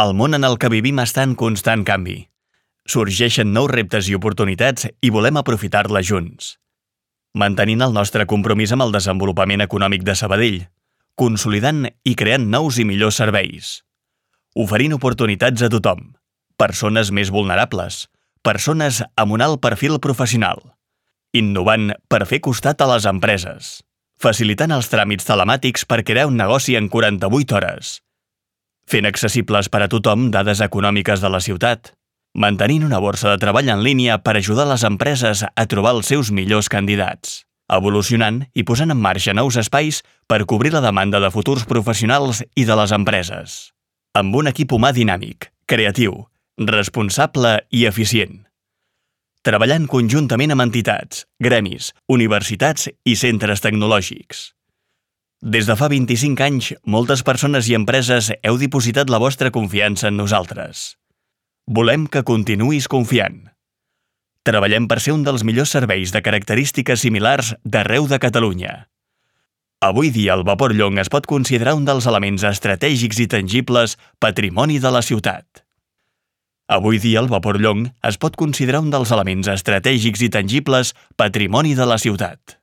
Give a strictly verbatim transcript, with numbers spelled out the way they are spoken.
El món en el que vivim està en constant canvi. Sorgeixen nous reptes i oportunitats i volem aprofitar-les junts. Mantenint el nostre compromís amb el desenvolupament econòmic de Sabadell, consolidant i creant nous i millors serveis. Oferint oportunitats a tothom, persones més vulnerables, persones amb un alt perfil professional. Innovant per fer costat a les empreses. Facilitant els tràmits telemàtics per crear un negoci en quaranta-vuit hores. Fent accessibles per a tothom dades econòmiques de la ciutat. Mantenint una borsa de treball en línia per ajudar les empreses a trobar els seus millors candidats. Evolucionant i posant en marxa nous espais per cobrir la demanda de futurs professionals i de les empreses. Amb un equip humà dinàmic, creatiu, responsable i eficient. Treballant conjuntament amb entitats, gremis, universitats i centres tecnològics. Des de fa vint-i-cinc anys, moltes persones i empreses heu dipositat la vostra confiança en nosaltres. Volem que continuïs confiant. Treballem per ser un dels millors serveis de característiques similars d'arreu de Catalunya. Avui dia el vapor Llong es pot considerar un dels elements estratègics i tangibles patrimoni de la ciutat. Avui dia el vapor Llong es pot considerar un dels elements estratègics i tangibles patrimoni de la ciutat.